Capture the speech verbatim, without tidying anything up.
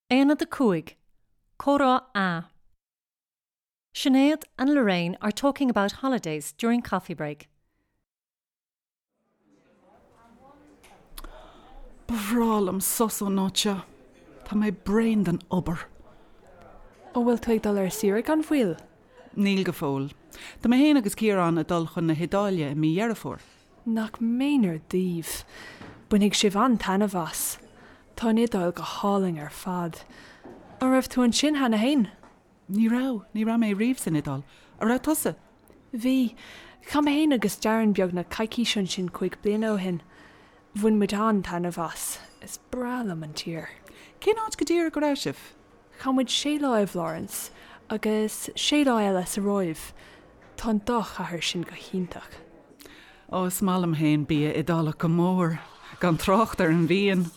Aonad a cúig, Comhrá A. Sinéad and Lorraine are talking about holidays during coffee break. Ba bhreá liom sos ón áit seo. Tá mé bréan den obair. An bhfuil tú ag dul ar saoire gan mhoill? Níl go fóill. Tá mé féin agus Ciarán ag dul chun na hIodáile i mí Dheireadh Fómhair. Nach méanar daoibh. Bainfidh sibh an-taitneamh as. Tá an Iodáil go hálainn ar fad. An raibh tú ansin cheana féin? Ní raibh, ní raibh mé riamh san Iodáil. An raibh tusa? Bhí. Chaith mé féin agus Darren beagnach coicís ansin cúig bliana ó shin. Bhain muid an-taitneamh as. Is breá liom an tír. Cén áit go díreach go raibh sibh? Chaith muid sé lá i bhFlorence agus sé lá eile sa Róimh. Tá an dá chathair sin go hiontach. Ó, is maith liom féin bia Iodálach go mór, gan trácht ar an bhfíon.